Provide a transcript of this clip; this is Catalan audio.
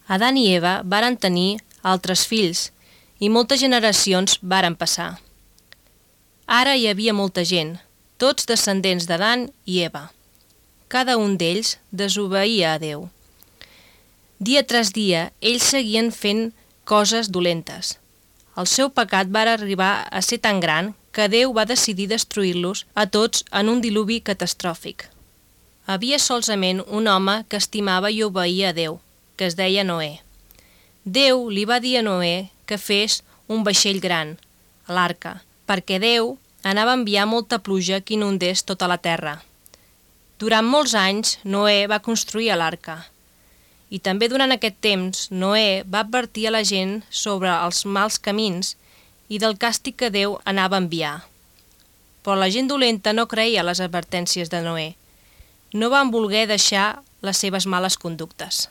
Adán i Eva varen tenir altres fills i moltes generacions varen passar. Ara hi havia molta gent, tots descendents d'Adán i Eva. Cada un d'ells desobeïa a Déu. Dia tras dia, ells seguien fent coses dolentes. El seu pecat va arribar a ser tan gran que Déu va decidir destruir-los a tots en un diluvi catastròfic. Havia solament un home que estimava i obeïa a Déu, que es deia Noè. Déu li va dir a Noè que fes un vaixell gran, l'arca, perquè Déu anava a enviar molta pluja que inundés tota la terra. Durant molts anys, Noè va construir l'arca. I també durant aquest temps, Noè va advertir a la gent sobre els mals camins i del càstig que Déu anava a enviar. Però la gent dolenta no creia les advertències de Noè. No van voler deixar les seves males conductes.